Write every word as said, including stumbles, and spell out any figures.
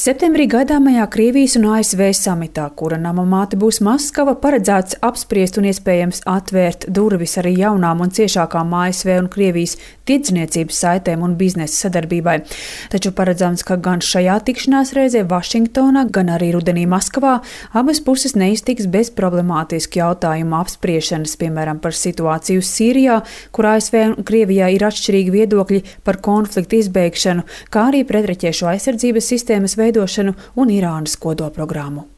Septembrī gaidāmajā Krievijas un A S V samitā, kura nama māte būs Maskava, paredzēts apspriest un iespējams atvērt durvis arī jaunām un ciešākām A S V un Krievijas tirdzniecības saitēm un biznesa sadarbībai. Taču paredzams, ka gan šajā tikšanās reizē Vašingtonā, gan arī rudenī Maskavā abas puses neiztiks bez problemātisku jautājumu apspriešanas, piemēram, par situāciju Sīrijā, kur A S V un Krievijā ir atšķirīgi viedokļi par konfliktu izbeigšanu, kā arī pretraķiešu aizsardzības sistēmas veidošanu un Irānas kodolprogrammu.